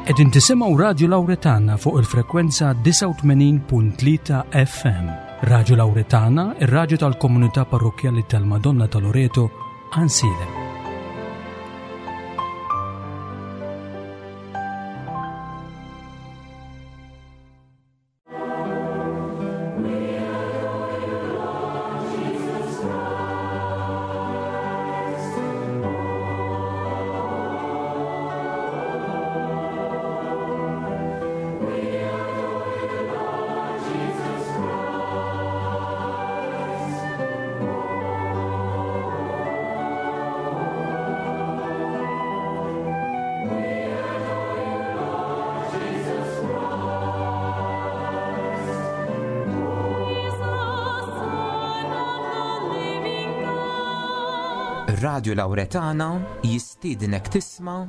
Qegħdin tisimgħu Radju Lawretana fuq il-frekwenza 89.3 FM. Radju Lawretana, ir-radju tal-komunità parrokkjali tal-Madonna ta' Loreto, Għansielem. Radio Lauretana jistiednek tisma'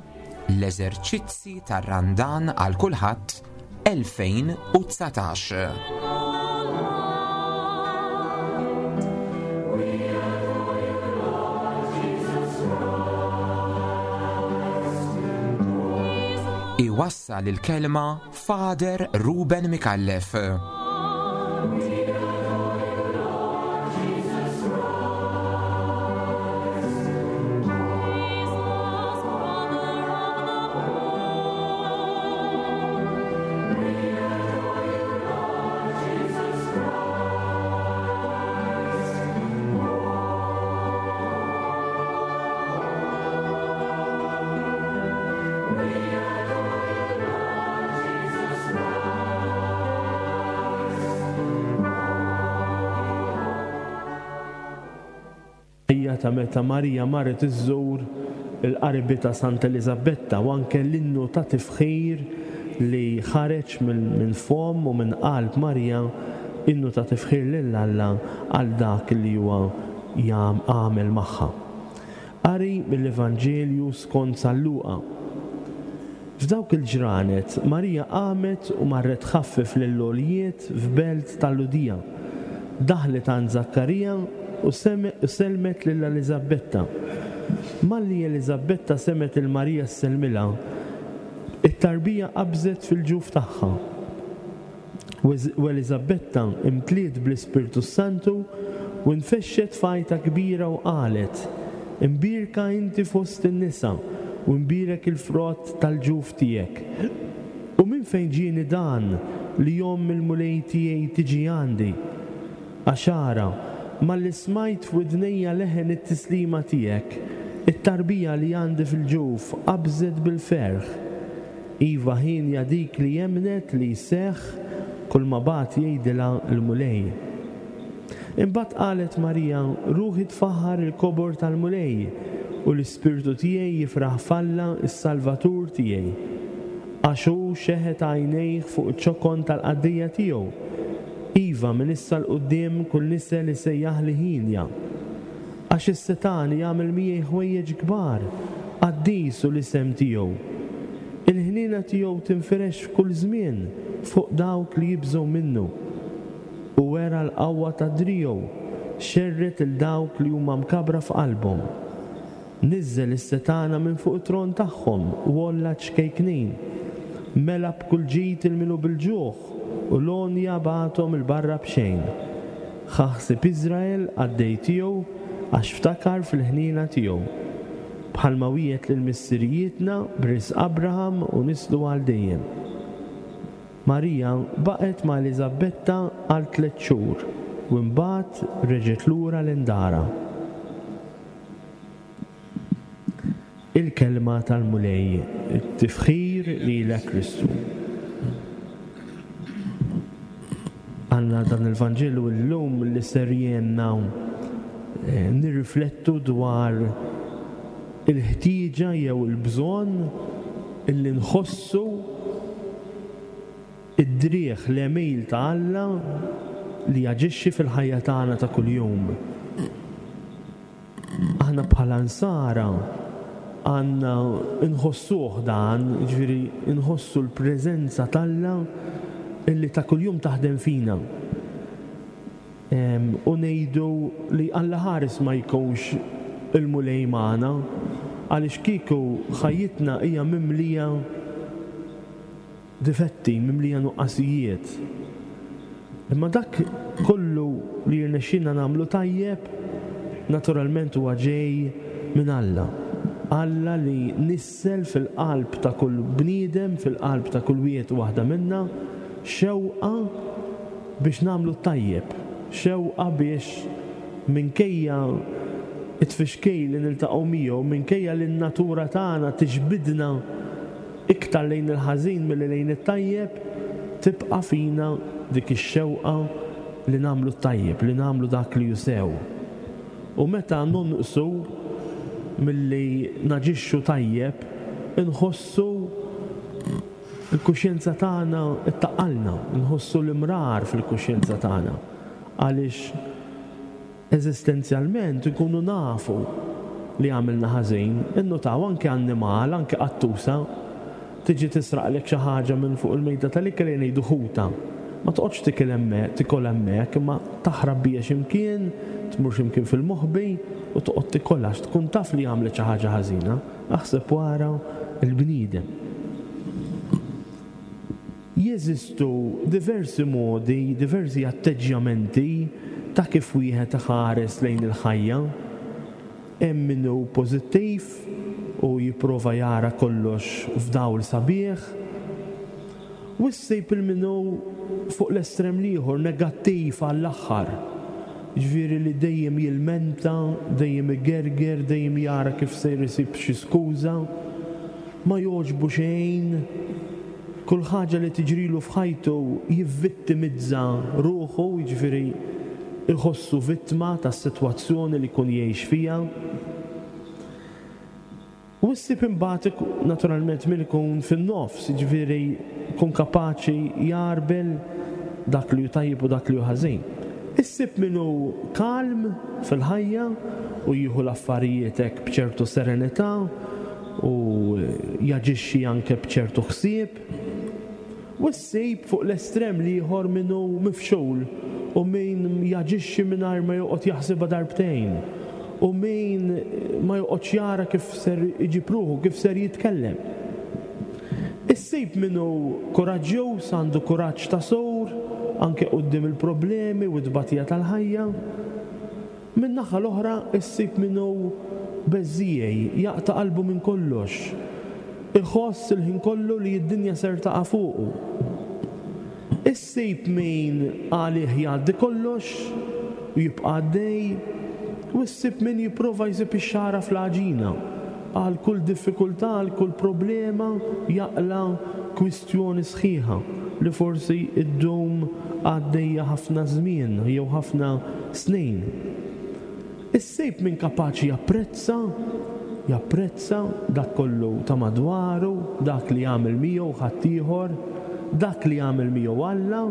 l-eżerċizzi tar-Randan għal kulħadd 2019. Iwassal il-kelma Father Ruben Micallef. Hija ta' meta Marija marret iżżur il-qaribitha Santa Eliżabetta u anke l-innu ta' tifħir li ħareġ minn fomm u minn qalb Marija, innu ta' tifħir lil Alla għal dak li huwa għamel magħha. Qari mill-Evanġelju skont San Luqa. F'dawk il-ġranet, Marija qamet u marret tħaffef lill-għoljiet f'belt tal-Lhudija. Daħlet għand Żakkarija u sellmet lil Eliżabbetta. Malli Eliżabbetta semgħet lil Marija ssellmilha, it-tarbija qabżet fil-ġuf tagħha. U Eliżabbetta imtliet bl-Ispirtu s-Santu u nfexxet f'għajta kbira u qalet, Imbierka inti fost in-nisa, u imbierek il-frott tal-ġuf tiegħek. U minn fejn ġieni dan li omm il-Mulej tiegħi tiġi għandi? Għax ara, malli smajt f'widnejja leħen it-tislima tiegħek, it-tarbija li għandi fil-ġuf qabżet bil-ferħ. Iva hienja dik li emmnet li jseħħ kulma bagħat jgħidilha l-Mulej. Imbagħad qalet Marija, Ruħi tfaħħar il-kobor tal-Mulej, u l-ispirtu tiegħi jifraħ f'Alla s-Salvatur tiegħi. Għax hu xeħet għajnejh fuq iċ-ċokon tal-qaddejja tiegħu. Iva, minn issa 'l quddiem kull nisel isejjaħli hienja. Għax is-Setgħani jagħmel miegħi ħwejjeġ kbar, qaddis hu l-isem tiegħu. Il-ħniena tiegħu tinfirex f'kull żmien fuq dawk li jibżgħu minnu. Hu wera l-qawwa ta' driegħu, xerred 'il dawk li huma mkabbra f'qalbhom. Niżżel is-setgħana minn fuq it-tron tagħhom u għolla ċ-ċkejknin. Mela b'kull ġid 'il min hu bil-ġuħ, u l-għonja bagħathom 'il barra b'xejn. Ħa ħsieb Iżrael qaddej tiegħu, għax ftakar fil-ħniena tiegħu. Bħalma wiegħed lil missirijietna b'risq Abraham u nislu għal dejjem. Marija baqgħet ma' Eliżabbetta għal tlett xhur u imbagħad reġgħet lura lejn darha. Il-Kelma tal-Mulej, Tifħir lilek Kristu. Għandna dan il-Vanġelu llum li ser jgħinna eh, nirriflettu dwar il-ħtieġa jew il-bżonn illi nħossu id-driegħ l-għemil ta' Alla li jaġixxi fil-ħajja tagħna ta' kuljum. Aħna bħala Nsara għandna nħossuh dan, jiġifieri nħossu l-preżenza t'Alla illi ta' kuljum taħdem fina. U ngħidu li Alla ħares ma jkunx il-Mulej magħna, għaliex kieku ħajjitna hija mimlija. difetti, mimlija nuqqasijiet. Imma dak kollu li jirnexxilna nagħmlu tajjeb, naturalment huwa ġej minn Alla. Alla li nissel fil-qalb ta' kull bniedem, fil-qalb ta' kull wieħed u waħda minna, xewqa biex nagħmlu t-tajjeb, xewqa biex minkejja t-tfixkil li niltaqgħu miegħu, minkejja li n-natura tagħna tiġbidna iktar lejn il-ħażin milli lejn it-tajjeb, tibqa' fina dik ix-xewqa li nagħmlu t-tajjeb, li nagħmlu dak li hu sew. U meta nonqsu milli naġixxu tajjeb, inħossu l-kuxjenza tagħna ttaqqalna, inħossu l-imrar fil-kuxjenza tagħna għaliex Eżistenzjalment inkunu nafu li għamilna ħażin. Innutaw anke annimal, anke qattusa, tiġi tisraqlek xi ħaġa minn fuq il-mejda tal-ikel ejja ngħidu ħuta. Ma toqgħodx tikil hemmhekk, tikol hemmhekk, imma taħrab biha xi mkien, tmur xi mkien fil-moħbi u toqgħod tikolha għax tkun taf li għamlet xi ħaġa ħażina. Aħseb u ara l-bniedem. Jeżistu diversi modi, diversi atteġġjamenti ta' kif wieħed iħares lejn il-ħajja. Hemm min hu pożittiv u jipprova jara kollox f'dawl sabiħ, u ssib 'il min hu fuq l-estrem l-ieħor, negattiv għall-aħħar, jiġifieri li dejjem jilmenta, dejjem igerger, dejjem jara kif ser isib xi skuża. Ma jogħġbu xejn, kull ħaġa li tiġrilu f'ħajtu jivvittimizza ruħu, jiġifieri jħossu vittma tas-sitwazzjoni li jkun jgħix fiha. U ssib imbagħad naturalment min ikun fin-nofs, jiġifieri jkun kapaċi jgħarbel dak li hu tajjeb u dak li hu ħażin. Issib min hu kalm fil-ħajja u jieħu l-affarijiet hekk b'ċertu serenità, u jaġixxi anke b'ċertu ħsieb, u ssib fuq l-estrem l-ieħor min hu mifxul u min jaġixxi mingħajr ma joqgħod jaħsibha darbtejn u min ma joqgħodx jara kif ser iġib ruħu, kif ser jitkellem. Issib min hu kuraġġjuż, għandu kuraġġ ta' sur, anke quddiem il-problemi u t-tbatija tal-ħajja. Min-naħa l-oħra issib min hu beżżiegħi, jaqta' qalbu minn kollox, iħoss il-ħin kollu li d-dinja ser taqa' fuqu. Issib min għalih jgħaddi kollox u jibqa' għaddej, u issib min jipprova jsib ix-xagħra fl-għaġina. Għal kull diffikultà, għal kull problema jaqla' kwistjoni sħiħa li forsi ddum għaddejja ħafna żmien jew ħafna snin. Issib min kapaċi japprezza, japprezza dak kollu ta' madwaru, dak li jagħmel miegħu ħaddieħor, dak li jagħmel miegħu Alla,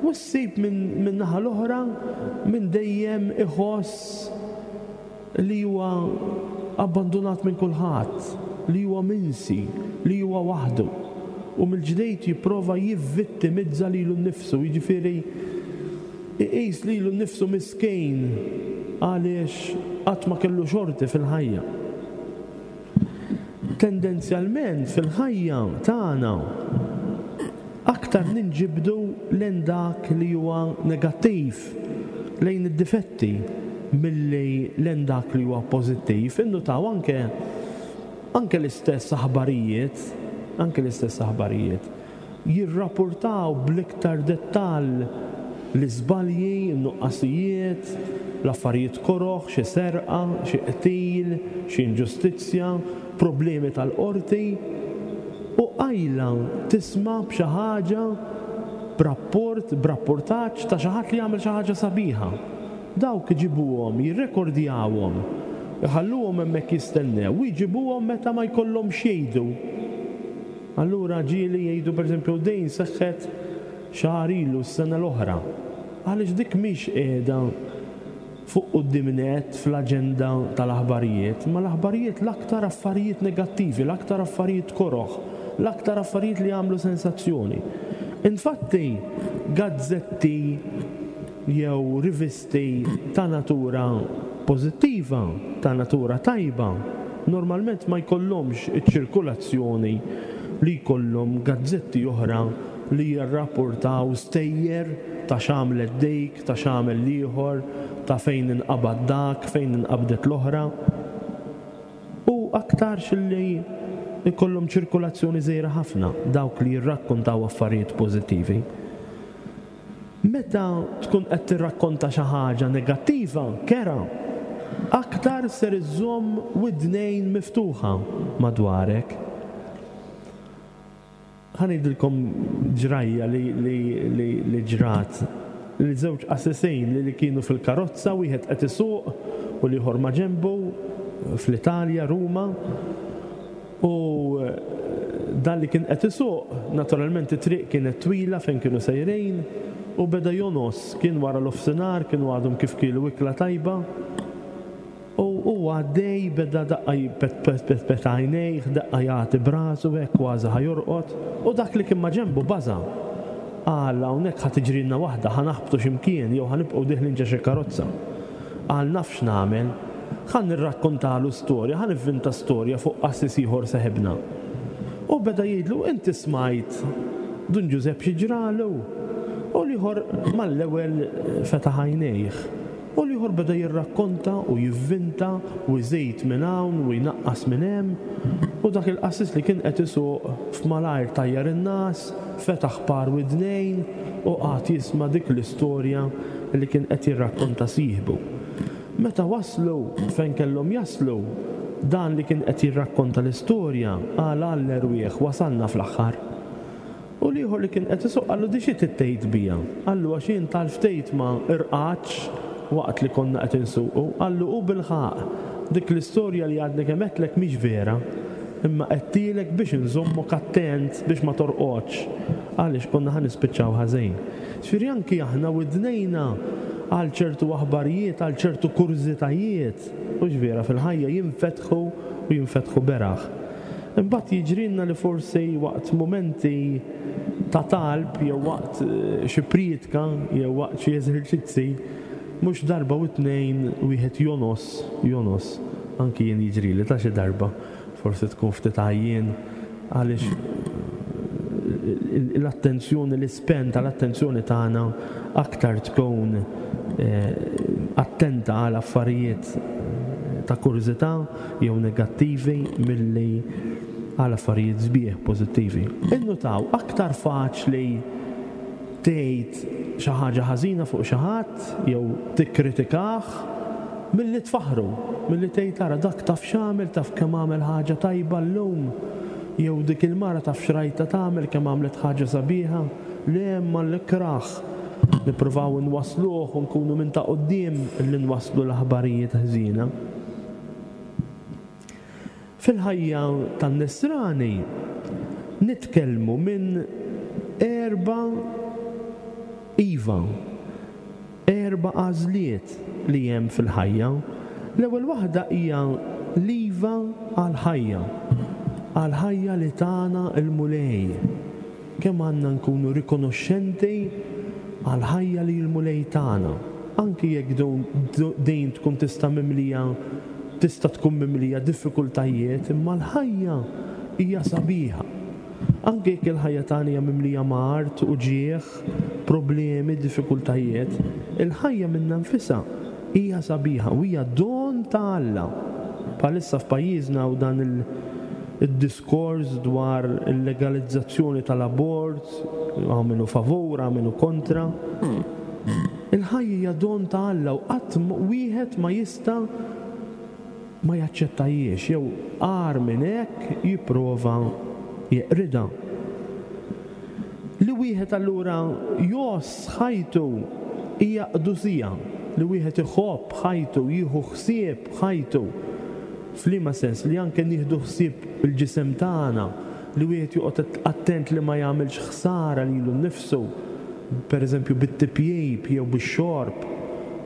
u ssib min-naħa l-oħra min dejjem iħoss li huwa abbandunat minn kulħadd, li huwa minsi, li huwa waħdu. U mill-ġdid jipprova jivvittimizza lilu nnifsu, jiġifieri iqis lilu nnifsu miskin għaliex qatt ma kellu xorti fil-ħajja. Tendenzjalment fil-ħajja tagħna aktar ninġibdu lejn dak li huwa negattiv, lejn id-difetti milli lejn dak li huwa pożittiv. Innutaw anke anke l-istess aħbarijiet, anke l-istess aħbarijiet. Jirrapurtaw bl-iktar dettall l-iżbalji, in-nuqqasijiet, l-affarijiet koroh, xi serqa, xi qtil, xi inġustizzja, problemi tal-qorti, u qajla tisma' b'xi ħaġa, b'rapport, b'rappurtaġġ ta' xi ħadd li għamel xi ħaġa sabiħa. Dawk iġibuhom, jirrekordjawhom, iħalluhom hemmhekk jistennew u jġibuhom meta ma jkollhomx x'jgħidu. Allura ġieli jgħidu pereżempju din seħħet xahar ilu s-sena l-oħra. Għaliex dik mhix qiegħda fuq quddiem nett fl-aġenda tal-aħbarijiet, imma l-aħbarijiet l-aktar affarijiet negattivi, l-aktar affarijiet koroh, l-aktar affarijiet li jagħmlu sensazzjoni. Infatti gazzetti jew rivisti ta' natura pożittiva, ta' natura tajba, normalment ma jkollhomx iċ-ċirkulazzjoni. li jkollhom gazzetti oħra li jirrapportaw stejjer ta' x'għamlet dik, ta' x'għamel l-ieħor, ta' fejn inqabad dak, fejn inqabdet l-oħra. U aktarx li jkollhom ċirkulazzjoni żgħira ħafna dawk li jirrakkontaw affarijiet pożittivi. Meta tkun qed tirrakkonta xi ħaġa negattiva, kerha, aktar ser iżżomm widnejn miftuħa madwarek. Ħa ngħidilkom ġrajja li li li li ġrat. Li żewġ qassisin li li kienu fil-karozza, wieħed qed isuq u l-ieħor maġenbu fl-Italja, Ruma. U dan li kien qed isuq, naturalment it-triq kienet twila fejn kienu sejrin, u beda jongħos, kien wara nofsinhar, kienu għadhom kif kielu ikla tajba, u huwa għaddej beda daqqa jpetpet għajnejh, daqqa jagħti b'rasu hekk kważi ħa jorqod, u dak li kien maġenbu baża'. Qal, hawnhekk ħa tiġrilna waħda, ħa naħbtu xi mkien jew ħa nibqgħu dieħlin ġo xi karozza. Qal, naf x'nagħmel. Ħa nirrakkontalu storja, ħa nivvinta storja fuq qassis ieħor seħibna. U beda jgħidlu, inti smajt Dun Ġużepp xi ġralu? U l-ieħor mal-ewwel fetaħ għajnejh. U l-ieħor beda jirrakkonta u jivvinta u jżid minn hawn u jnaqqas minn hemm. U dak il-qassis li kien qed isuq f'malajr tajjar in-ngħas, fetaħ par widnejn u qagħad jisma' dik l-istorja li kien qed jirrakkonta sieħbu. Meta waslu fejn kellhom jaslu, dan li kien qed jirrakkonta l-istorja qal għall-erwieħ wasalna fl-aħħar. U l-ieħor li kien qed isuq qallu di xi trid tgħid bija? Qallu għax jien tal-ftehit ma rqadtx waqt li konna qed insuqu. Qallu u bilħaqq, dik l-istorja li għadni kemm għedtlek mhix vera, imma għedtielek biex inżommok attent biex ma torqodx għaliex konna ħa nispiċċaw ħażin. Ġifieri anki aħna widnejna għal ċertu aħbarijiet, għal ċertu kurżitajiet, hux vera, fil-ħajja jinfetħu u jinfetħu beraħ. Imbagħad jiġrilna li forsi waqt mumenti ta' talb jew waqt xi prietka jew waqt xi eżerċizzi, mhux darba u tnejn wieħed jongħos, jongħos. Anki jien jiġrili ta' xi darba. Forsi tkun ftit għajjien għaliex l-attenzjoni, l-ispenn tal-attenzjoni tagħna aktar tkun attenta għal affarijiet ta' kurżità jew negattivi milli għal affarijiet sbieħ pożittivi. Innutaw, aktar faċli tgħid xi ħaġa ħażina fuq xi ħadd jew tikkritikah milli tfaħħru, milli tgħid ara dak taf x'għamel, taf kemm għamel ħaġa tajba llum, jew dik il-mara taf x'rajtha tagħmel kemm għamlet ħaġa sabiħa. Le imma l-ikrah nippruvaw inwassluh u nkunu minn ta' quddiem li nwasslu l-aħbarijiet ħżiena. Fil-ħajja tan-Nisrani nitkellmu minn erba' iva, erba' għażliet li hemm fil-ħajja. L-ewwel waħda hija l-iva għall-ħajja, għall-ħajja li tana l-Mulej. Kemm għandna nkunu rikonoxxenti għall-ħajja li l-Mulej tana, anki jekk din tkun tista' mimlija tista' tkun mimlija diffikultajiet, imma l-ħajja hija sabiħa. Anki jekk il-ħajja tagħna hija mimlija mard, uġigħ, problemi, diffikultajiet, il-ħajja minnha nfisha hija sabiħa u hija don ta' Alla. Bħalissa f'pajjiżna hawn dan id-diskors dwar il-legalizzazzjoni tal-abort, hawn min hu favur, hawn min hu kontra. Il-ħajja hija don ta' Alla u qatt wieħed ma jista' ma jaċċettajiex jew agħar minn hekk jipprova jeqridha. Li wieħed allura jgħożż ħajtu hija qdusija, li wieħed iħobb ħajtu, jieħu ħsieb ħajtu. F'liema sens? Li anke nieħdu ħsieb il-ġisem tagħna, li wieħed joqgħod attent li ma jagħmilx ħsara lilu nnifsu, pereżempju bit-tipjip jew bix-xorb,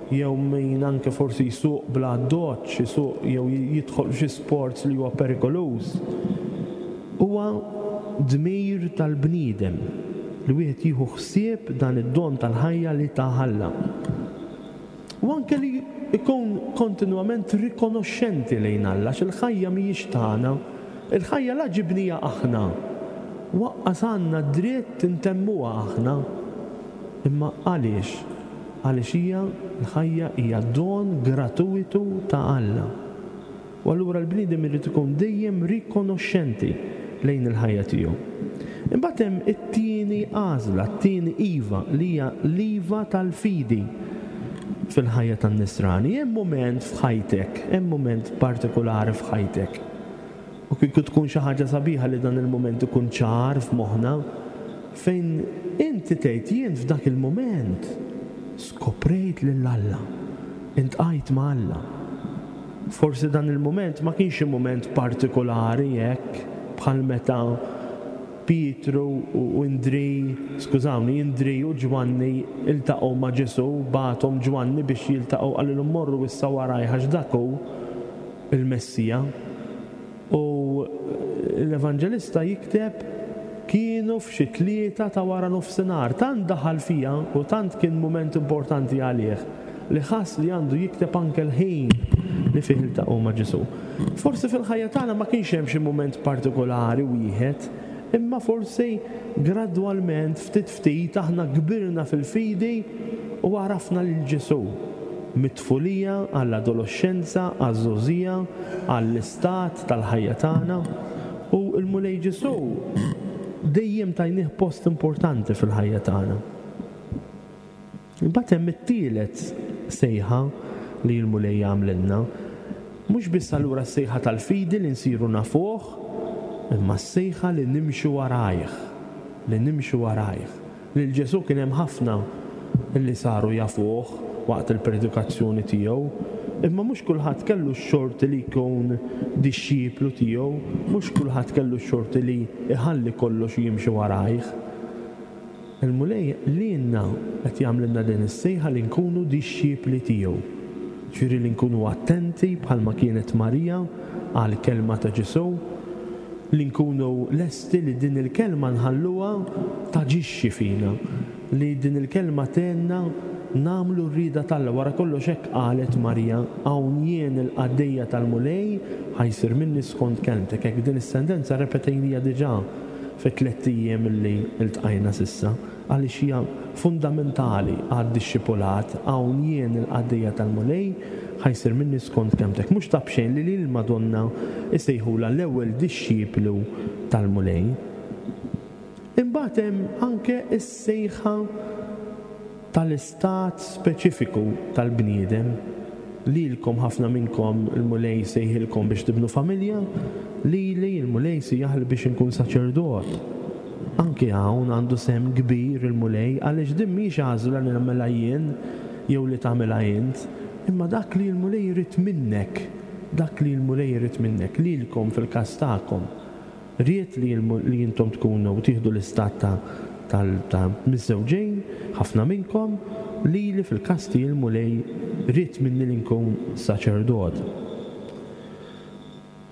jew min anke forsi jsuq bla addoċċ, isuq jew jidħol f'xi sports li huwa perikoluż. Huwa dmir tal-bniedem li wieħed jieħu ħsieb dan id-don tal-ħajja li tah Alla. U anke li jkun kontinwament rikonoxxenti lejn Alla għax il-ħajja mhijiex tagħna. Il-ħajja la ġibnieha aħna. U aqqas għandna d-dritt intemmuha aħna. Imma għaliex? Għaliex hija, l-ħajja hija don gratuwitu ta' Alla. U allura l-bniedem irid ikun dejjem rikonoxxenti lejn il-ħajja tiegħu. Imbagħad hemm it-tieni għażla, t-tieni iva, li hija l-iva tal-fidi fil-ħajja tan-Nisrani. Hemm mument f'ħajtek, hemm mument partikulari f'ħajtek. U kieku tkun xi ħaġa sabiħa li dan il-mument ikun ċar f'moħħna, fejn inti tgħid jien f'dak il-mument skoprejt lil Alla, intqajt ma' Alla. Forsi dan il-mument ma kienx xi mument partikulari hekk bħal meta Pietru u Indri, skużawni, Indri u Ġwanni ltaqgħu ma' Ġesù, bagħathom Ġwanni biex jiltaqgħu qalilhom morru issa warajh għax dak hu il-Messija. U l-Evanġelista jikteb kienu f'xi tlieta ta' wara nofsinhar. Tant daħal fiha u tant kien mument importanti għalih li ħass li għandu jikteb anke l-ħin li fih iltaqgħu ma' Ġesù. Forsi fil-ħajja tagħna ma kienx hemm xi mument partikolari wieħed, imma forsi gradwalment, ftit ftit, aħna kbirna fil-fidi u għarafna lil Ġesù. Mit-tfulija għall-adoloxxenza, għaż-żgħożija, għall-istat tal-ħajja tagħna. U l-Mulej Ġesù dejjem tajnieh post importanti fil-ħajja tagħna. Imbagħad hemm it-tielet sejħa li l-Mulej jagħmlilna. Mhux biss allura s-sejħa tal-fidi li nsiru nafuh, imma s-sejħa li nimxu warajh, li nimxu warajh. Lil Ġesù kien hemm ħafna li saru jafuh waqt il-predikazzjoni tiegħu, imma mhux kulħadd kellu x-xorti li jkun dixxiplu tiegħu, mhux kulħadd kellu x-xorti li jħalli kollox u jimxi warajh. Il-Mulej lilna qed jagħmlilna din is-sejħa li nkunu dixxipli tiegħu. Ġifieri li nkunu attenti bħalma kienet Marija għall-kelma ta' Ġesù, li nkunu lesti li din il-kelma nħalluha taġixxi fina, li din il-kelma tgħinna nagħmlu r-rieda t'Alla. Wara kollox hekk qalet Marija, Hawn jien il-qaddejja tal-Mulej, ħa jsir minni skont kelmtek. Hekk din is-sentenza rrepetejnija diġà fit-tlett ijiem li ltqajna s'issa, għaliex hija fundamentali għad-dixxipulat, hawn jien il-qaddejja tal-Mulej, ħa jsir minni skont kelmtek. Mhux ta' b'xejn li lill-Madonna jsejħulha l-ewwel dixxiplu tal-Mulej. Imbagħad hemm anke s-sejħa tal-istat speċifiku tal-bniedem. Lilkom, ħafna minnkom, il-Mulej sejħilkom biex tibnu familja, lili l-Mulej sejjaħli biex inkun saċerdot. Anki hawn għandu sehem kbir il-Mulej għaliex din mhijiex għażla li nagħmilha jien jew li tagħmilha int, imma dak li l-Mulej irid minnek, dak li l-Mulej irid minnek, lilkom fil-każ tagħkom. Ried li li intom tkunu u tieħdu l-istat ta' tal ta' miżżewġin, ħafna minnkom, lili fil-każ tiegħi l-Mulej ried minni li nkun saċerdot.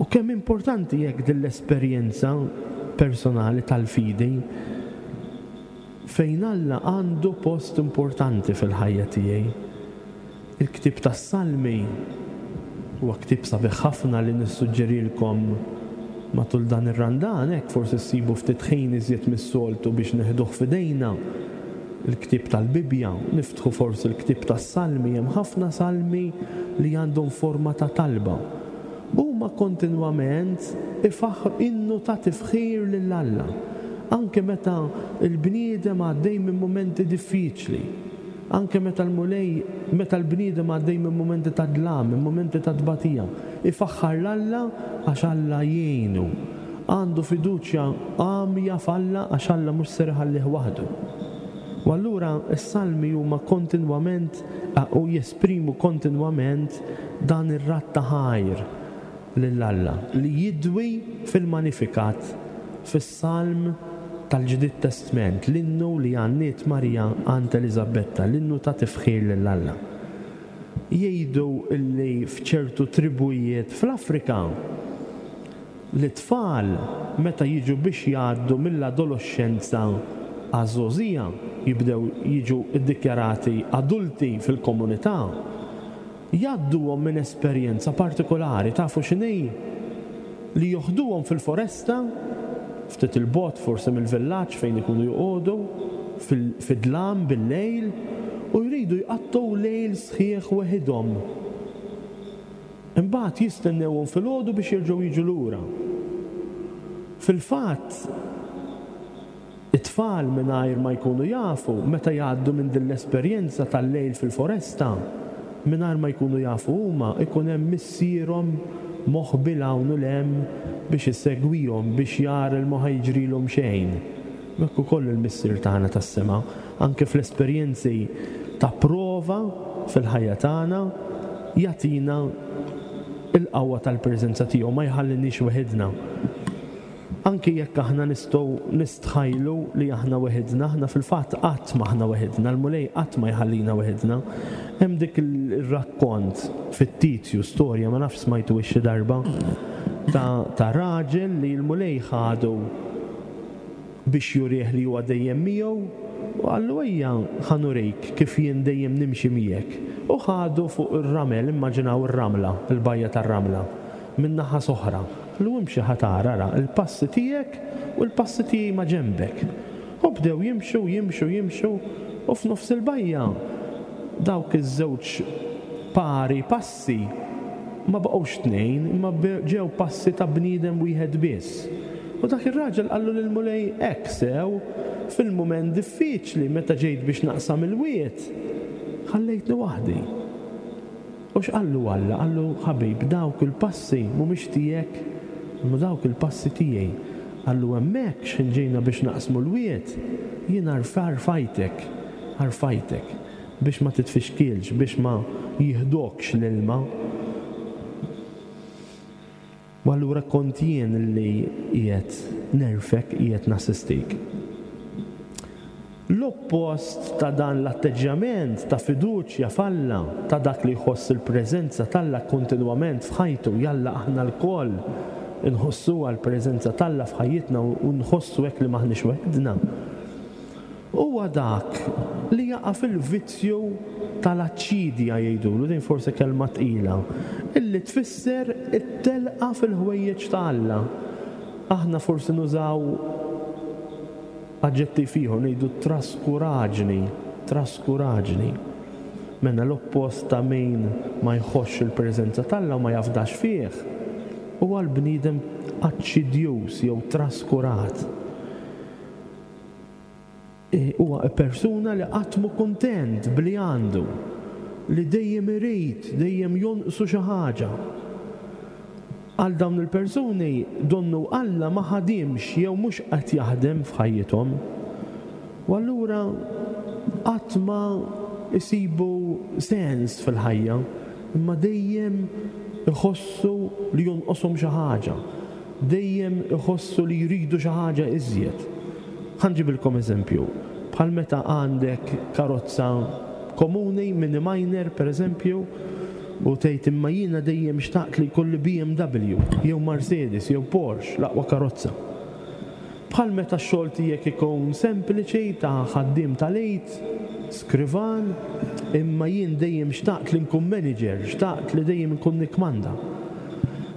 U kemm importanti hekk din l-esperjenza personali tal-fidi fejn Alla għandu post importanti fil-ħajja tiegħi. Il-ktieb tas-Salmi huwa ktieb sabiħ ħafna li nissuġġerilkom matul dan ir-Randan, hekk forsi ssibu ftit ħin iżjed mis-soltu biex neħduh f'idejna, il-ktieb tal-Bibbja, niftħu forsi l-ktieb tas-Salmi, hemm ħafna salmi li għandhom forma ta' talba. Huma kontinwament ifaħħru innu ta' tifħir lil Alla, anke meta l-bniedem għaddej minn mumenti diffiċli. Anke meta l-Mulej, meta l-bniedem għaddej minn mumenti ta' dlam, minn mumenti ta' tbatija, ifaħħar 'l Alla għax Alla jgħinu. Għandu fiduċja għamja f'Alla għax Alla mhux ser iħallih waħdu. U allura s-Salmi huma kontinwament u jesprimu kontinwament dan ir-radd ta' ħajr lil Alla li jidwi fil-Magnificat, fis-Salm tal-Ġdid Testment, l-innu li għanniet Marija għand Eliżabetta, l-innu ta' tifħir lil Alla. Jgħidu li f'ċertu tribujiet fl-Afrika, l-itfal meta jiġu biex jgħaddu mill-adoloxxenza għaż-żgħożija, jibdew jiġu ddikjarati adulti fil-komunità, Jgħadduhom minn esperjenza partikulari, tafu x'inhi? Li joħduhom fil-foresta ftit 'il bogħod forsi mill-villaġġ fejn ikunu joqogħdu, fid-dlam bil-lejl, u jridu jqattgħu lejl sħiħ weħidhom. Imbagħad jistennewhom filgħodu biex jerġgħu jiġu lura. Fil-fatt, it-tfal mingħajr ma jkunu jafu, meta jgħaddu minn din l-esperjenza tal-lejl fil-foresta, mingħajr ma jkunu jafu huma, ikun hemm missierhom moħbi 'l hawn u 'l hemm biex isegwihom, biex jara li ma ħa jiġrilhom xejn. U hekk ukoll il-Missier tagħna tas-sema, anke fl-esperjenzi ta' prova fil-ħajja tagħna, jagħtina l-qawwa tal-preżenza tiegħu, ma jħalliniex weħidna. Anki jekk aħna nistgħu nistħajlu li aħna weħidna, aħna fil-fatt qatt m'aħna weħidna, il-Mulej qatt ma jħallina weħidna. Hemm dik ir-rakkont fittizju, storja, ma nafx smajtuhiex xi darba, ta', ta' raġel li l-Mulej ħadu biex jurih li huwa dejjem miegħu, u qallu ejja ħa nurik kif jien dejjem nimxi miegħek. U ħadu fuq ir-ramel, immaġinaw ir-ramla, il-bajja tar-ramla, minn naħa s'oħra. Qallu imxi ħa tara, ara, il-passi tiegħek u l-passi tiegħi ma' ġenbek. U bdew jimxu, jimxu, jimxu, u f'nofs il-bajja dawk iż-żewġ pari passi ma baqgħux tnejn, imma ġew passi ta' bniedem wieħed biss. U dak ir-raġel qallu lill-Mulej, Hekk sew, fil-mument diffiċli meta ġejt biex naqsam il-wied, ħallejtni waħdi. U x'qallu Alla? Qallu, Ħabib, dawk il-passi mhumiex tiegħek, imma dawk il-passi tiegħi. Qallu, Hemmhekk, x'ħin ġejna biex naqsmu l-wied, jien rfajtek, rfajtek, biex ma titfixkilx, biex ma jieħdokx l-ilma. U allura kont jien li qiegħed nerfgħek, qiegħed nassistik. L-oppost ta' dan l-atteġġjament ta' fiduċja f'Alla, ta' dak li jħoss il-preżenza t'Alla kontinwament f'ħajtu, jalla aħna lkoll inħossuha l-preżenza t'Alla f'ħajjitna u nħossu hekk li m'aħniex weħidna. Huwa dak li jaqa' fil-vizzju tal-aċċidja jgħidulu, din forsi kelma tqila, illi tfisser it-telqa fil-ħwejjeġ ta' Alla. Aħna forsi nużaw aġġettiv ieħor, ngħidu traskuraġni, traskuraġni. Mela l-oppost ta' min ma jħossx il-preżenza t'Alla u ma jafdax fih, huwa l-bniedem aċċidjuż jew traskurat. Huwa persuna li qatt mhu kuntent b'li għandu, li dejjem irid, dejjem jonqsu xi ħaġa. Għal dawn il-persuni donnu Alla ma ħadimx jew mhux qed jaħdem f'ħajjithom. U allura qatt ma jsibu sens fil-ħajja, imma dejjem iħossu li jonqoshom xi ħaġa. Dejjem iħossu li jridu xi ħaġa iżjed. Ħa nġibilkom eżempju. Bħal meta għandek karozza komuni, mini minor per eżempju, u tgħid imma jiena dejjem xtaqt li jkolli BMW jew Mercedes jew Porsche, l-aqwa karozza. Bħal meta x-xogħol tiegħek ikun sempliċi ta' ħaddiem tal-id, skrivan, imma jien dejjem xtaqt li nkun manager, xtaqt li dejjem inkun nikkmanda.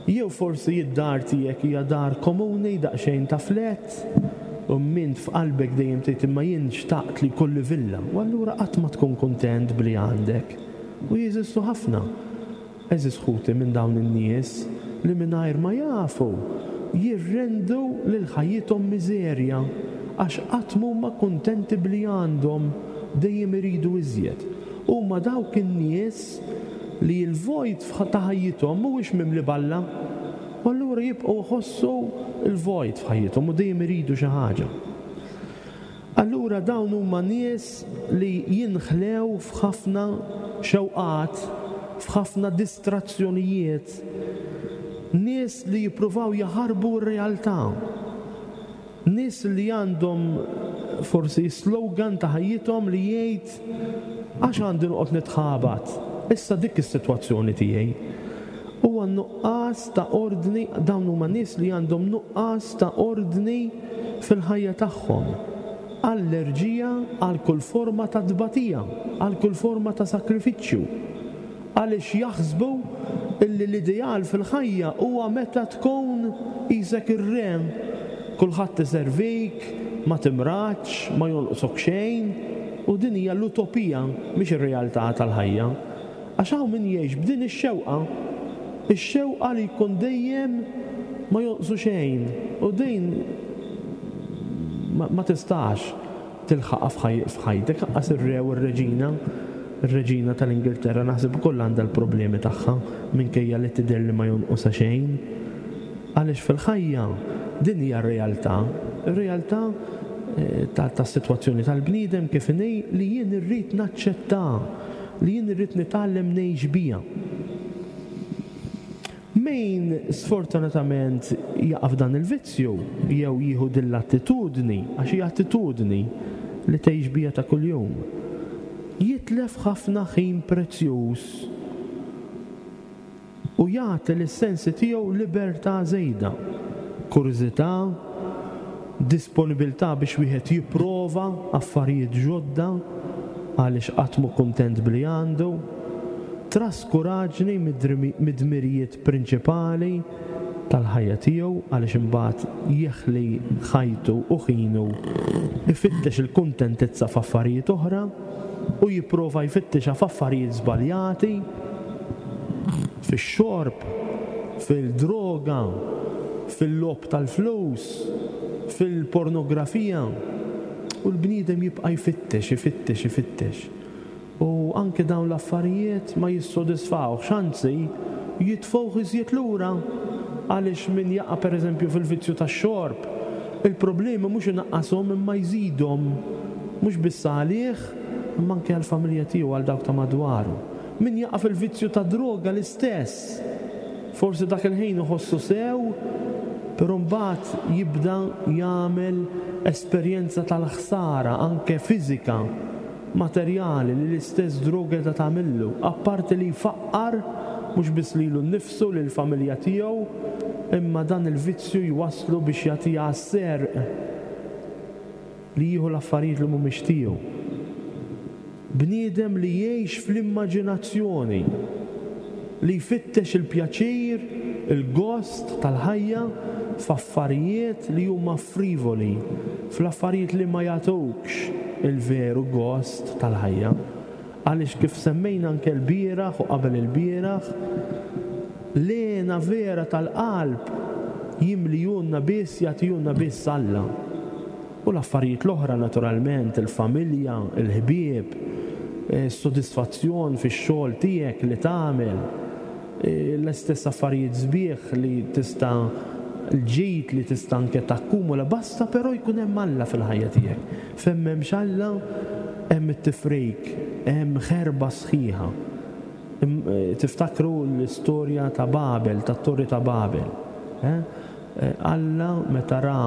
Jew forsi id-dar tiegħek hija dar komuni, daqsxejn ta' flat, u m'int f'qalbek dejjem tgħid imma jien xtaqt li jkolli villa. U allura qatt ma tkun kuntent b'li għandek. U jeżistu ħafna. Għeżież ħuti minn dawn in-nies li mingħajr ma jafu jirrendu lil ħajjithom miżerja għax qatt m'huma kuntenti b'li għandhom, dejjem iridu iżjed. Huma dawk in-nies li l-vojt ta' ħajjithom mhuwiex mimli b'Alla u allura jibqgħu jħossu l-vojt f'ħajjithom u dejjem iridu xi ħaġa. Allura dawn huma nies li jinħlew f'ħafna xewqat, f'ħafna distrazzjonijiet, nies li jippruvaw jaħarbu r-realtà, nies li għandhom forsi slogan ta' ħajjithom li jgħid għax għandi noqgħod nitħabat, issa dik is-sitwazzjoni tiegħi. Huwa nuqqas ta' ordni, dawn huma nies li għandhom nuqqas ta' ordni fil-ħajja tagħhom, allerġija għal kull forma ta' tbatija, għal kull forma ta' sagrifiċċju, għaliex jaħsbu illi l-ideal fil-ħajja huwa meta tkun qisek ir-re. Kulħadd iservik, ma timradx, ma jonqsok xejn, u din hija l-utopija, mhix ir-realtà tal-ħajja. Għax hawn min jgħix b'din ix-xewqa, ix-xewqa li jkun dejjem ma jonqsu xejn, u din ma tistax tilħaqha f'ħajtek, anqas ir-re u r-reġina, ir-reġina tal-Ingilterra naħseb ukoll għandha l-problemi tagħha minkejja li tidher li ma jonqosha xejn. Għaliex fil-ħajja din hija r-realtà, ir-realtà tas-sitwazzjoni tal-bniedem kif inhi li jien irrid naċċettaha, li jien irrid nitgħallem ngħix biha. Min sfortunatament jaqa' f'dan il-vizzju jew jieħu din l-attitudni, għax hija attitudni li tgħix biha ta' kuljum, jitlef ħafna ħin prezzjuż u jagħti lis-sensi tiegħu libertà żejda, kurżità, disponibilità biex wieħed jipprova affarijiet ġodda għaliex qatt mhu kuntent b'li għandu, traskuraġni mid-dmirijiet prinċipali tal-ħajja tiegħu għaliex imbagħad jeħli ħajtu u ħinu jfittex il-kuntentizza f'affarijiet oħra u jipprova jfittixha f'affarijiet żbaljati, fix-xorb, fil-droga, fil-logħob tal-flus, fil-pornografija. U l-bniedem jibqa' jfittex, ifittex, ifittex. U anke dawn l-affarijiet ma jissodisfawhx, anzi jitfgħuh iżjed lura għaliex min jaqa' pereżempju fil-vizzju tax-xorb, il-problemi mhux inaqqashom imma jżidhom, mhux biss għalih imma anke għall-familja tiegħu, għal dawk ta' madwaru. Min jaqa' fil-vizzju tad-droga l-istess. Forsi dak il-ħin iħossu sew, però mbagħad jibda jagħmel esperjenza tal-ħsara anke fiżika materjali li l-istess droga qiegħda tagħmillu, apparti li jfaqqar mhux biss lilu nnifsu, lill-familja tiegħu, imma dan il-vizzju jwasslu biex jagħtiha għas-serq, li jieħu l-affarijiet li mhumiex tiegħu. Bniedem li jgħix fl-immaġinazzjoni, li jfittex il-pjaċir, il-gost tal-ħajja f'affarijiet li huma frivoli, fl-affarijiet li ma jagħtukx il-veru gost tal-ħajja. Għaliex kif semmejna anke lbieraħ u qabel ilbieraħ, l-hena vera tal-qalb jimlijulna biss, jagħtihulna biss Alla. U l-affarijiet l-oħra naturalment, il-familja, il-ħbieb, is-sodisfazzjon fix-xogħol tiegħek li tagħmel, l-istess affarijiet sbieħ li tista' l-ġid li tista' anke takkumula, basta però jkun hemm Alla fil-ħajja tiegħek. Fejn m'hemmx Alla, hemm it-tifrik, hemm ħerba sħiħa. Tiftakru l-istorja ta' Babel, tat-Torri ta' Babel. Eh? Alla meta ra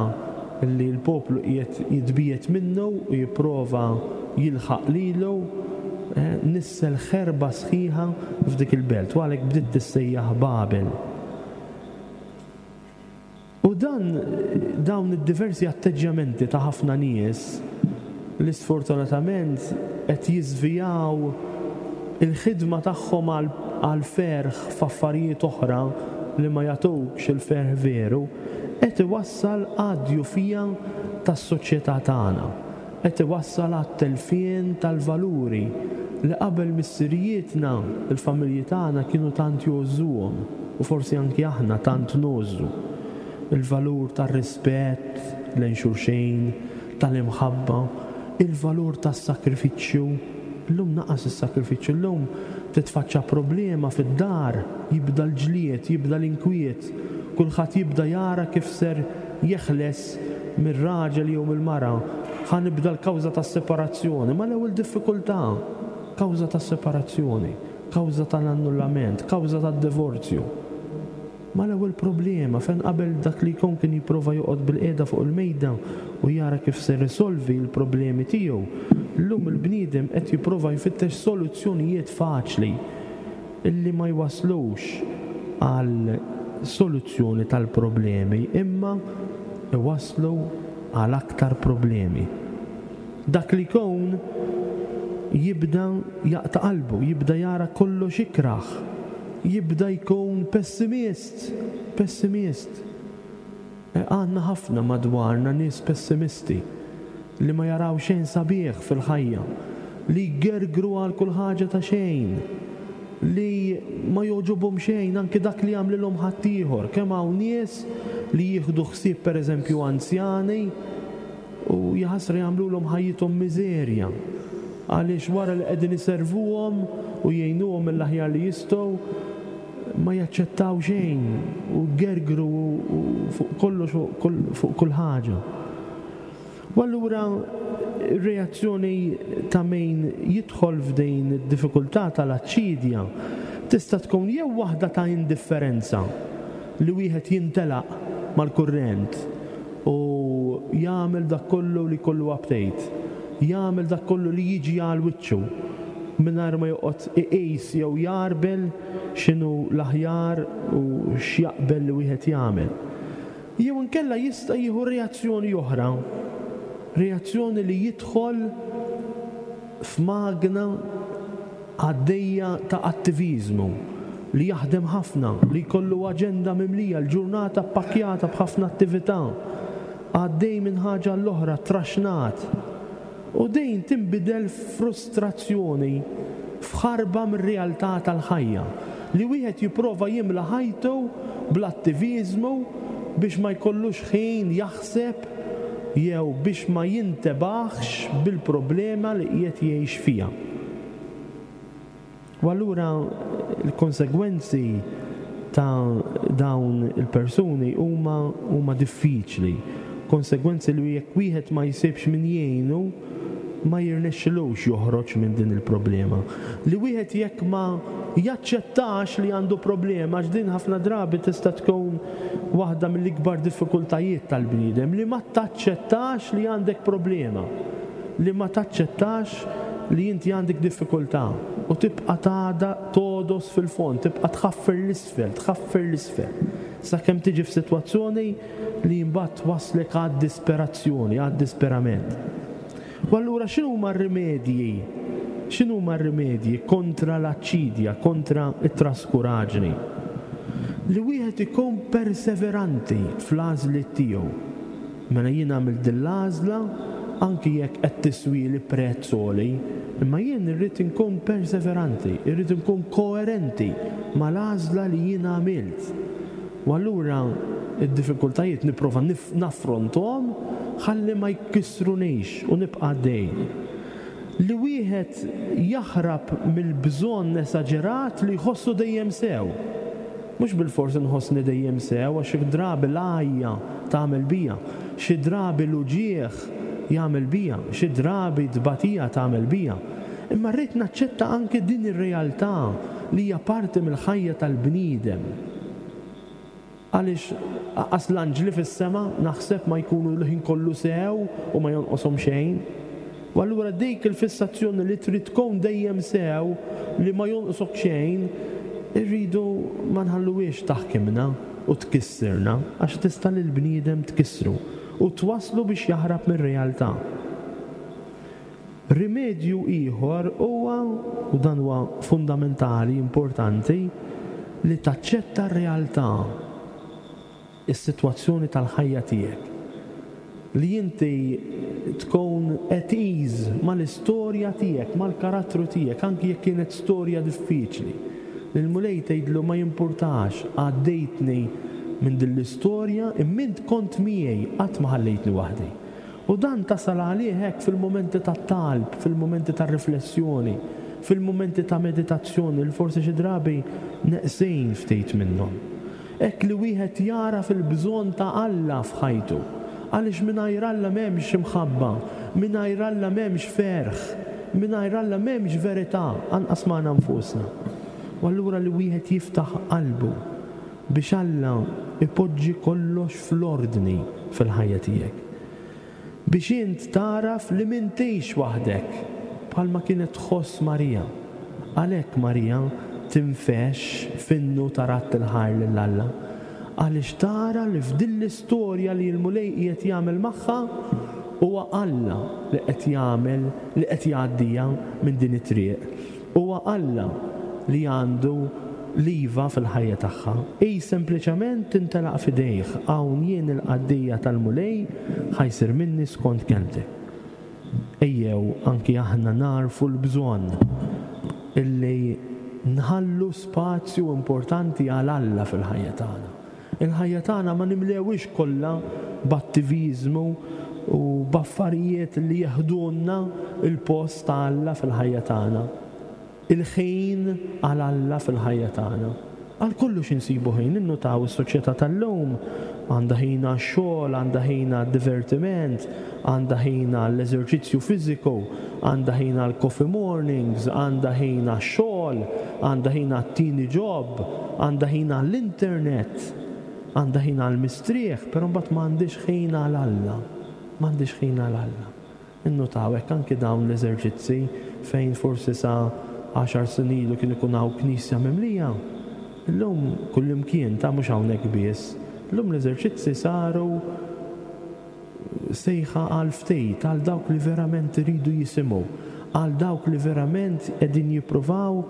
li l-poplu qiegħed jitbiegħed minnu u jipprova jilħaq lilu, nissel ħerba sħiħa f'dik il-belt u għalhekk bdiet tissejjaħ Babel. U dan dawn id-diversi atteġġjamenti ta' ħafna nies li sfortunatament qed jiżvijaw il-ħidma tagħhom għall-ferħ f'affarijiet oħra li ma jagħtukx il-ferħ veru, qed iwassal għad-djufija tas-soċjetà tagħna, qed iwassal għat-telfien tal-valuri li qabel missirijietna, il-familji tagħna kienu tant jgħożżuhom u forsi anki aħna tant ngħożżu. Il-valur tar-rispett lejn xulxin, tal-imħabba, il-valur tas-sagrifiċċju. Illum naqas is-sagrifiċċju, illum titfaċċa problema fid-dar, jibda l-ġlied, jibda l-inkwiet, kulħadd jibda jara kif ser jeħles mir-raġel jew mill-mara, ħa nibda l-kawża tas-separazzjoni, mal-ewwel diffikultà, kawża tas-separazzjoni, kawża tal-annullament, kawża tad-divorzju. Mal-ewwel problema, fejn qabel dak li jkun kien jipprova joqgħod bilqiegħda fuq il-mejda u jara kif ser isolvi l-problemi tiegħu, llum il-bniedem qed jipprova jfittex soluzzjonijiet faċli illi ma jwasslux għal soluzzjoni tal-problemi imma jwasslu għal aktar problemi. Dak li jkun jibda jaqta' qalbu, jibda jara kollox ikrah, jibda jkun pessimist, pessimist. Għandna ħafna madwarna nies pessimisti li ma jaraw xejn sabiħ fil-ħajja, li jgergru għal kull ħaġa ta' xejn, li ma jogħġobhom xejn anki dak li jagħmlilhom ħaddieħor. Kemm hawn nies li jieħdu ħsieb pereżempju anzjani u jaħasra jagħmlulhom ħajjithom miżerja għaliex wara li qegħdin iservuhom u jgħinuhom mill-aħjar li jistgħu ma jaċċettaw xejn u jgergru fuq kollox fuq kull ħaġa. U allura r-reazzjoni ta' min jidħol f'din id-diffikultà tal-aċċidja tista' tkun jew waħda ta' indifferenza, li wieħed jintelaq mal-kurrent u jagħmel dak kollu li jkollu aptejt, jagħmel dak kollu li jiġi għal wiċċu mingħajr ma joqgħod iqis jew jgħarbel x'inhu l-aħjar u x'jaqbel li wieħed jagħmel. Jew inkella jista' jieħu reazzjoni oħra, reazzjoni li jidħol f'magna għaddejja ta' attiviżmu, li jaħdem ħafna, li jkollu aġenda mimlija, l-ġurnata ppakkjata b'ħafna attività, għaddej minn ħaġa għall-oħra, traxnat. U din tinbidel f'frustrazzjoni, f'ħarba mir-realtà tal-ħajja, li wieħed jipprova jimla ħajtu bl-attiviżmu biex ma jkollux ħin jaħseb jew biex ma jintebaħx bil-problema li qiegħed jgħix fiha. U allura l-konsegwenzi ta' dawn il-persuni huma huma diffiċli. Konsegwenzi li jekk wieħed ma jsibx min jgħinu ma jirnexxilux joħroġ minn din il-problema. Li wieħed jekk ma jaċċettax li għandu problema, għax din ħafna drabi tista' tkun waħda mill-ikbar diffikultajiet tal-bniedem, li ma taċċettax li għandek problema. Li ma taċċettax li inti għandek diffikultà u tibqa' tagħda togħdos fil-fond, tibqa' tħaffer 'l isfel, tħaffer 'l isfel, sakemm tiġi f'sitwazzjoni li mbagħad twasslek għad-disperazzjoni, għad-disperament. U allura x'inhuma r-rimedji? X'inhuma r-rimedji kontra l-aċċidja, kontra t-traskuraġni? Li wieħed ikun perseveranti fl-għażliet tiegħu. Mela jien għamilt din l-għażla anki jekk qed tiswieli prezz għoli, imma jien irrid inkun perseveranti, irrid inkun koerenti mal-għażla li jien għamilt. U allura d-diffikultajiet nipprova naffronthom ħalli ma jkissrunix u nibqa' għaddej. Li wieħed jaħrab mill-bżonn esaġerat li jħossu dejjem sew. Mhux bilfors inħossni dejjem sew għax xi drabi l-għajja tagħmel bija, xi drabi l-uġigħ jagħmel bija, xi drabi t-tbatija tagħmel bija. Imma rrid naċċetta anke din ir-realtà li hija parti mill-ħajja tal-bniedem. Għaliex anqas l-anġli fis-sema naħseb ma jkunu l-ħin kollu sew u ma jonqoshom xejn. U allura dik il-fissazzjoni li trid tkun dejjem sew, li ma jonqsok xejn, irridu ma nħalluhiex taħkimna u tkissirna għax tista' lill-bniedem tkissru u twasslu biex jaħrab mir-realtà. Rimedju ieħor huwa, u dan huwa fundamentali, importanti, li taċċetta r-realtà, is-sitwazzjoni tal-ħajja tiegħek. Li inti tkun at ease mal-istorja tiegħek, mal-karattru tiegħek, anki jekk kienet storja diffiċli. Lill-Mulej tgħidlu ma jimpurtax, għaddejtni minn din l-istorja imma int kont miegħi, qatt ma ħallejtni waħdi. U dan tasal għalih hekk fil-mumenti tat-talb, fil-mumenti tar-riflessjoni, fil-mumenti ta' meditazzjoni li forsi xi drabi neqsin ftit minnhom. Hekk li wieħed jagħraf il-bżonn ta' Alla f'ħajtu. Għaliex mingħajr Alla m'hemmx imħabba, mingħajr Alla m'hemmx ferħ, mingħajr Alla m'hemmx verità, anqas magħna nfusna. U allura li wieħed jiftaħ qalbu biex Alla jpoġġi kollox fl-ordni fil-ħajja tiegħek. Biex int tagħraf li m'intix waħdek, bħalma kienet tħoss Marija. Għalhekk Marija tinfexx f'innu ta' radd il-ħajr lil Alla, għaliex tara li f'din l-istorja li l-Mulej qiegħed jagħmel magħha, huwa Alla li qed jagħmel, li qed jgħaddiha minn din it-triq. Huwa Alla li għandu. l-iva fil-ħajja tagħha. Hi sempliċement tintelaq f'idejh, hawn jien il-qaddejja tal-Mulej, ħa jsir minni skont kelmtek. Ejjew anki aħna nagħrfu l-bżonn illi nħallu spazju importanti għal Alla fil-ħajja tagħna. Il-ħajja tagħna ma nimlewhiex kollha b'attiviżmu u b'affarijiet li jeħdulna l-post ta' Alla fil-ħajja tagħna. Il-ħin għal Alla fil-ħajja tagħna. Għal kollox insibu ħin, innutaw is-soċjetà tal-lum għandha ħin għax-xogħol, għandha ħin għad-divertiment, għandha ħin għall-eżerċizzju fiżiku, għandha ħin għall-coffee mornings, għandha ħin għax-xogħol, għandha ħin għat-tieni job, għandha ħin għall-internet, għandha ħin għall-mistrieħ, però mbagħad m'għandhiex ħin għal Alla. M'għandhiex ħin għal Alla. Innutaw hekk anki dawn l-eżerċizzi fejn forsi sa għaxar snin ilu kien ikun hawn knisja mimlija, illum kullimkien, ta' mhux hawnhekk biss, illum l-eżerċizzi saru sejħa għal ftit, għal dawk li verament iridu jisimgħu, għal dawk li verament qegħdin jippruvaw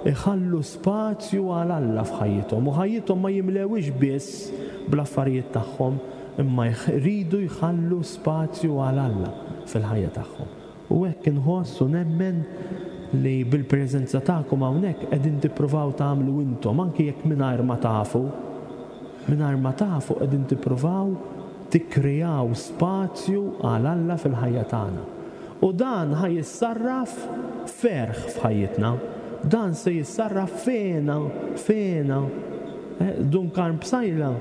iħallu spazju għal Alla f'ħajjithom u ħajjithom ma jimlewhiex biss bl-affarijiet tagħhom imma jridu jħallu spazju għal Alla fil-ħajja tagħhom. U hekk inħoss u nemmen li bil-preżenza tagħkom hawnhekk qegħdin tippruvaw tagħmlu intom, anki jekk mingħajr ma tafu, mingħajr ma tafu qegħdin tippruvaw tikkreaw spazju għal Alla fil-ħajja tagħna. U dan ħa jissarraf f'ferħ f'ħajjitna. Dan se jissarraf f'hena, f'hena. Dun Karm Psaila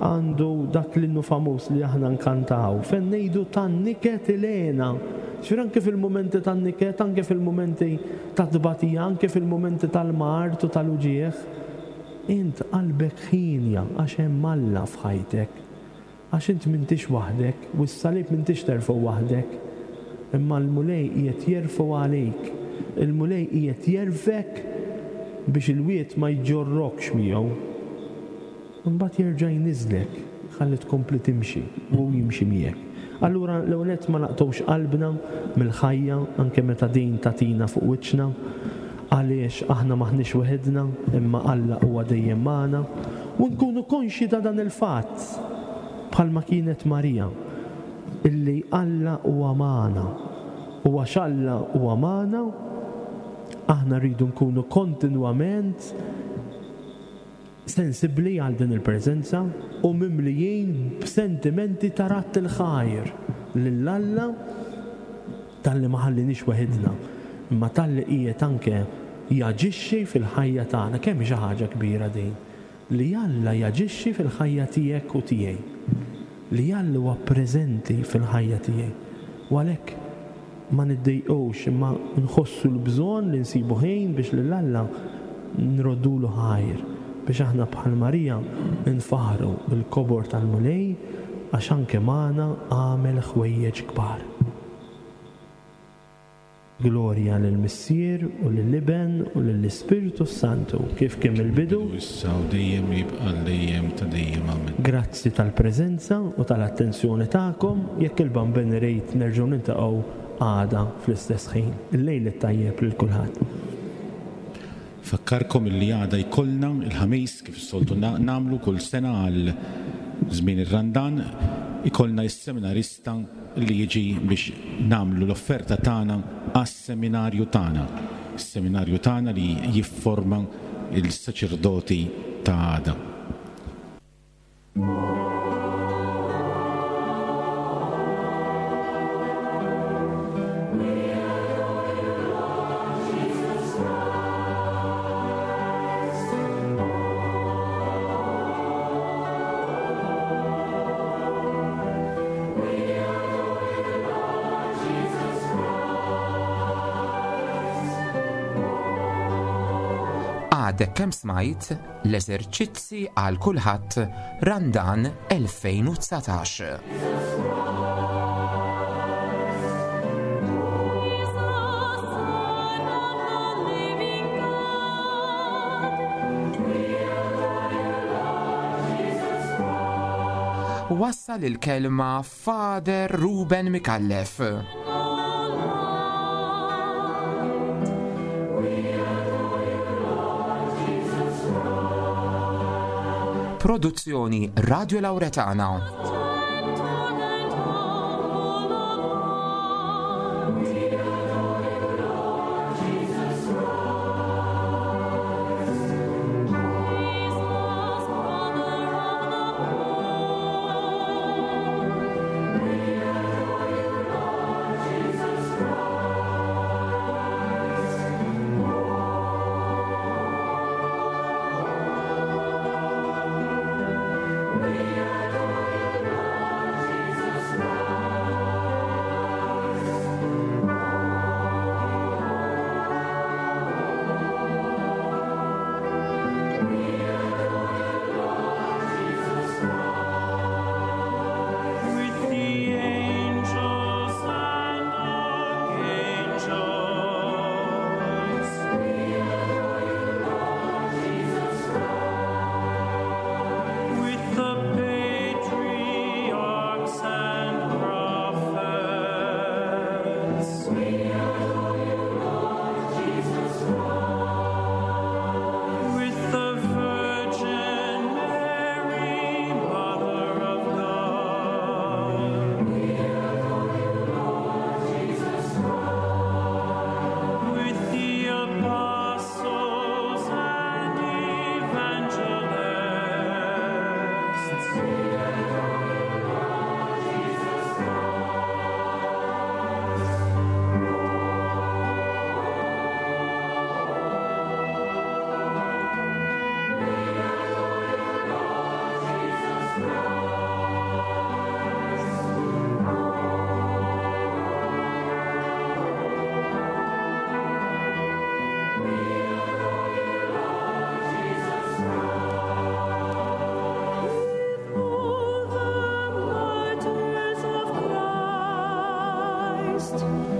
għandu dak l-innu famuż li aħna nkantaw, fejn ngħidu tan-niket il-hena. Ġifieri anke fil-mumenti tan-niket, anke fil-mumenti tat-tbatija, anke fil-mumenti tal-mard u tal-uġigħ, int qalbek ħienja għax hemm Alla f'ħajtek. Għax int m'intix waħdek, u s-salib m'intix terfgħu waħdek, imma l-Mulej qiegħed jerfgħu għalik. Il-Mulej qiegħed jerfgħek biex il-wied ma jġorrokx miegħu. Imbagħad jerġa' jniżżlek ħalli tkompli timxi u hu jimxi miegħek. Allura l-ewwel nett ma naqtgħux qalbna mill-ħajja anke meta din tagħtina fuq wiċċna, għaliex aħna m'aħniex weħidna imma Alla huwa dejjem magħna u nkunu konxji ta' dan il-fatt bħalma kienet Marija illi Alla huwa magħna u għax Alla huwa magħna aħna rridu nkunu kontinwament sensibbli għal din il-preżenza u mimlijin b'sentimenti ta' radd il-ħajr lil Alla talli ma ħalliniex weħidna, imma talli qiegħed anke jaġixxi fil-ħajja tagħna. Kemm hi xi ħaġa kbira din, li Alla jaġixxi fil-ħajja tiegħek u tiegħi, li Alla huwa preżenti fil-ħajja tiegħi. U għalhekk ma niddejqux imma nħossu l-bżonn li nsibu ħin biex lil Alla nroddulu ħajr, biex aħna bħal Marija nfaħħru l-kobor tal-Mulej għax anke magħna għamel ħwejjeġ kbar. Glorja lill-Missier u lill-Iben u lill-Ispirtu s-Santu, kif kien mill-bidu, issa u dejjem u jibqa' għal dejjem ta' dejjem. Amen. Grazzi tal-preżenza u tal-attenzjoni tagħkom. Jekk il-Bambin irid nerġgħu niltaqgħu għada fl-istess ħin. Il-lejl it-tajjeb lil kulħadd. Nfakkarkom illi għada jkollna, il-Ħamis, kif is-soltu nagħmlu kull sena għal żmien ir-Randan, ikollna is-seminarista li jiġi biex nagħmlu l-offerta tagħna għas-seminarju tagħna, is-seminarju tagħna li jifforma l-saċerdoti ta' għada. Għadek kemm smajt l-eżerċizzi għal kulħadd Randan 2019. Wassal il-kelma Father Ruben Micallef. Produzzjoni Radio Lauretana. Christ.